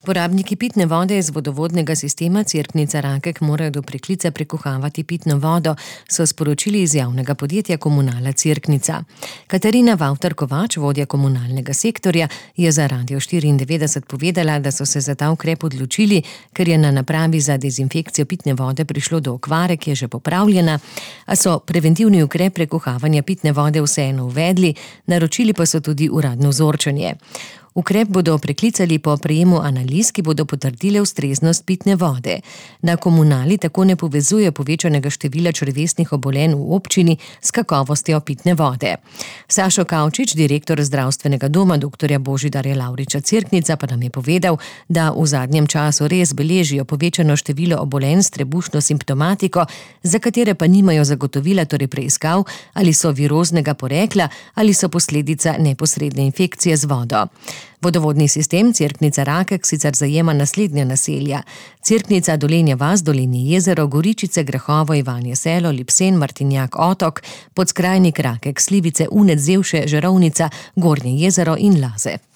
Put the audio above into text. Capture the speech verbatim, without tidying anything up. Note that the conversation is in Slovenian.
Porabniki pitne vode iz vodovodnega sistema Cerknica-Rakek morajo do preklica prekuhavati pitno vodo, so sporočili iz javnega podjetja Komunala Cerknica. Katarina Vavtar-Kovač, vodja komunalnega sektorja, je za Radio štiriindevetdeset povedala, da so se za ta ukrep odločili, ker je na napravi za dezinfekcijo pitne vode prišlo do okvare, ki je že popravljena, a so preventivni ukrep prekuhavanja pitne vode vseeno uvedli, naročili pa so tudi uradno vzorčenje. Ukrep bodo preklicali po prejemu analiz, ki bodo potrdile ustreznost pitne vode. Na Komunali tako ne povezuje povečanega števila črevesnih obolenj v občini s kakovostjo pitne vode. Sašo Kavčič, direktor zdravstvenega doma doktorja Božidarja Lavriča Cerknica, pa nam je povedal, da v zadnjem času res beležijo povečano število obolenj s trebušno simptomatiko, za katere pa nimajo zagotovila, torej preiskav, ali so viroznega porekla ali so posledica neposredne infekcije z vodo. Vodovodni sistem Cerknica-Rakek sicer zajema naslednja naselja: Cerknica, Dolenja vas, Dolenje jezero, Goričice, Grahovo, Ivanje selo, Lipsen, Martinjak, Otok, Podskrajnik, Rakek, Slivice, Unec, Zevše, Žerovnica, Gornje jezero in Laze.